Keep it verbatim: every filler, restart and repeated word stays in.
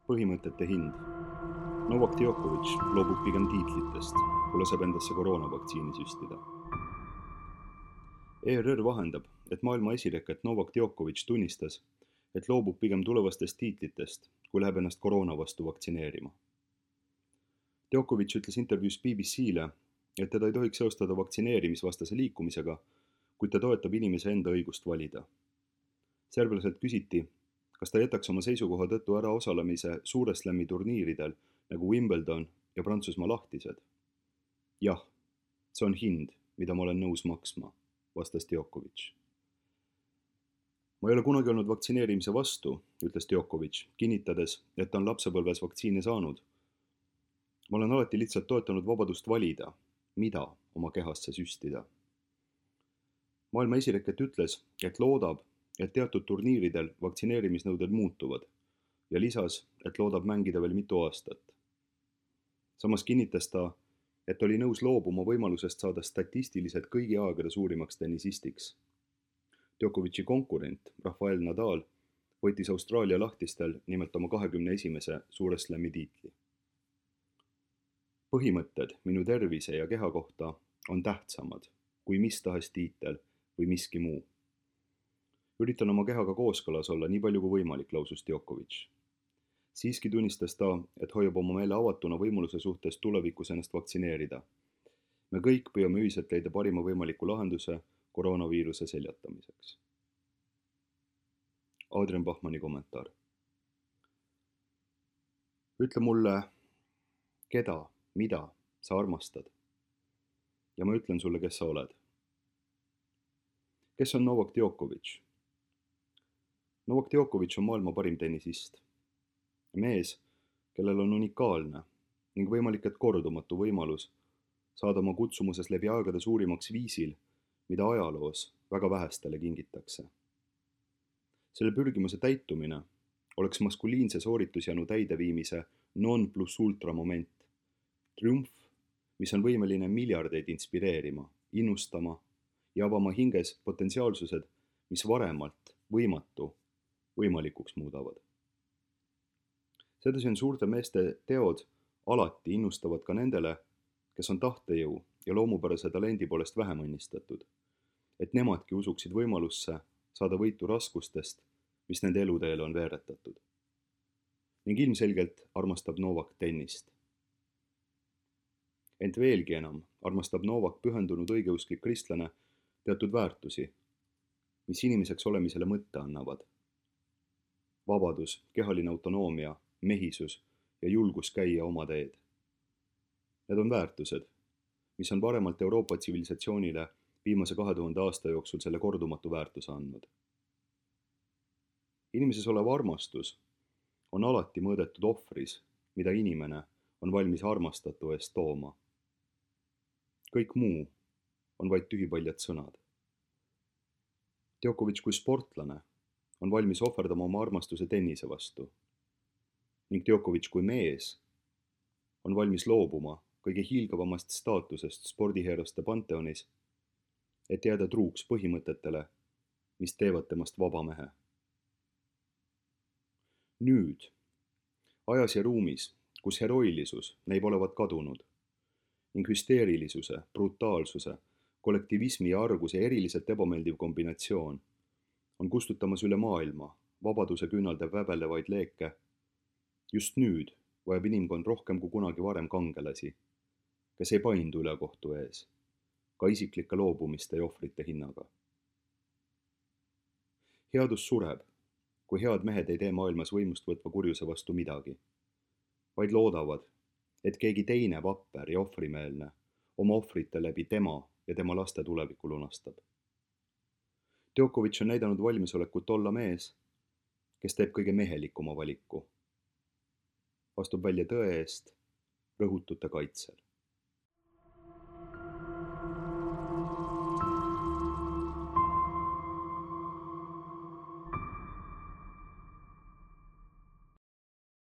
Põhimõtete hind. Novak Djokovic loobub pigem tiitlitest, kui laseb endasse koroonavaktsiini süstida. E R R vahendab, et maailma esireket Novak Djokovic tunnistas, et loobub pigem tulevastest tiitlitest, kui läheb ennast koroona vastu vaktsineerima. Djokovic ütles intervjuus B B C-le, et teda ei tohiks seostada vaktsineerimisvastase liikumisega, kuid ta toetab inimese enda õigust valida. Serblaselt küsiti, kas ta jätaks oma seisukoha tõttu ära osalemise suure slam'i turniiridel nagu Wimbledon ja Prantsusmaa lahtised. Jah, see on hind, mida ma olen nõus maksma, vastas Djokovic. Ma ei ole kunagi olnud vaktsineerimise vastu, ütles Djokovic, kinnitades, et ta on lapsepõlves vaktsiine saanud. Ma olen alati lihtsalt toetanud vabadust valida, mida oma kehasse süstida. Maailma esireket ütles, et loodab, et teatud turniiridel vaktsineerimisnõuded muutuvad ja lisas, et loodab mängida veel mitu aastat. Samas kinnitas ta, et oli nõus loobuma võimalusest saada statistiliselt kõigi aegade suurimaks tennisistiks. Djokovic'i konkurent Rafael Nadal võitis Austraalia lahtistel nimelt oma kahekümne esimese suure slam'i tiitli. Põhimõtted minu tervise ja keha kohta on tähtsamad kui mis tahes tiitel või miski muu. Üritan oma kehaga kooskõlas olla nii palju kui võimalik, lausus Djokovic. Siiski tunnistas ta, et hoiab oma meele avatuna võimaluse suhtes tulevikus ennast vaktsineerida. Me kõik püüame ühiselt leida parima võimaliku lahenduse koroonaviiruse seljatamiseks. Adrian Bachmanni kommentaar. Ütle mulle, keda, mida sa armastad. Ja ma ütlen sulle, kes sa oled. Kes on Novak Djokovic? Novak Djokovic on maailma parim tennisist. Mees, kellel on unikaalne ning võimalik, et kordumatu võimalus saada oma kutsumuses läbi aegade suurimaks viisil, mida ajaloos väga vähestele kingitakse. Selle pürgimuse täitumine oleks maskuliinse sooritusjanu täideviimise non plus ultra moment. Triumf, mis on võimeline miljardeid inspireerima, innustama ja avama hinges potentsiaalsused, mis varemalt võimatu võimalikuks muudavad. Sedasi on suurte meeste teod alati innustavad ka nendele, kes on tahtejõu ja loomupärase talendi poolest vähem õnnistatud, et nemadki usuksid võimalusse saada võitu raskustest, mis nende eluteele on veeretatud. Ning ilmselgelt armastab Novak tennist. Ent veelgi enam armastab Novak pühendunud õigeusklik kristlane teatud väärtusi, mis inimeseks olemisele mõtte annavad. Vabadus, kehaline autonoomia, mehisus ja julgus käia oma teed. Need on väärtused, mis on varemalt Euroopa tsivilisatsioonile viimase kahe tuhande aasta jooksul selle kordumatu väärtuse andnud. Inimeses olev armastus on alati mõõdetud ohvris, mida inimene on valmis armastatu eest tooma. Kõik muu on vaid tühipaljad sõnad. Djokovic kui sportlane on valmis ohverdama oma armastuse tennise vastu. Ning Djokovic kui mees on valmis loobuma kõige hiilgavamast staatusest spordiheeroste panteonis, et jääda truuks põhimõtetele, mis teevad temast vaba mehe. Nüüd, ajas ja ruumis, kus heroilisus näib olevat kadunud ning hüsteerilisuse, brutaalsuse, kollektivismi ja arguse eriliselt ebameeldiv kombinatsioon on kustutamas üle maailma vabaduse küünalde väbelevaid leeke. Just nüüd vajab inimkond rohkem kui kunagi varem kangelasi, kes ei paindu ülekohtu ees, ka isiklike loobumiste ja ohvrite hinnaga. Headus sureb, kui head mehed ei tee maailmas võimust võtva kurjuse vastu midagi, vaid loodavad, et keegi teine vapper ja ohvrimeelne oma ohvrite läbi tema ja tema laste tuleviku lunastab. Djokovic on näidanud valmisolekut olla mees, kes teeb kõige mehelikuma valiku. Astub välja tõe eest rõhutute kaitsel.